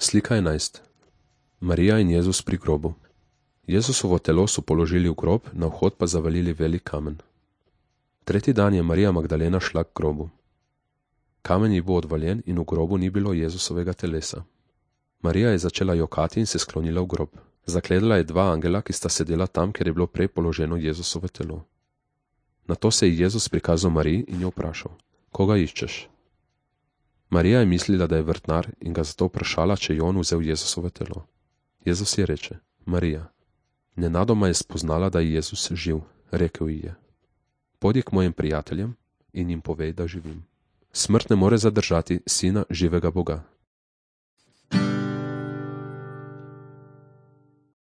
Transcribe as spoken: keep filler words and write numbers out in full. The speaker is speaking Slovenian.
Slika enajst. Marija in Jezus pri grobu. Jezusovo telo so položili v grob, na vhod pa zavalili velik kamen. Tretji dan je Marija Magdalena šla k grobu. Kamen je bil odvaljen in v grobu ni bilo Jezusovega telesa. Marija je začela jokati in se sklonila v grob. Zakledala je dva angela, ki sta sedela tam, kjer je bilo prej položeno Jezusovo telo. Nato se je Jezus prikazal Mariji in jo vprašal: Koga iščeš? Marija je mislila, da je vrtnar, in ga zato vprašala, če je on vzel Jezusovo telo. Jezus je reče: Marija. Nenadoma je spoznala, da je Jezus živ. Rekel ji je: Pojdi k mojim prijateljem in jim povej, da živim. Smrt ne more zadržati sina živega Boga.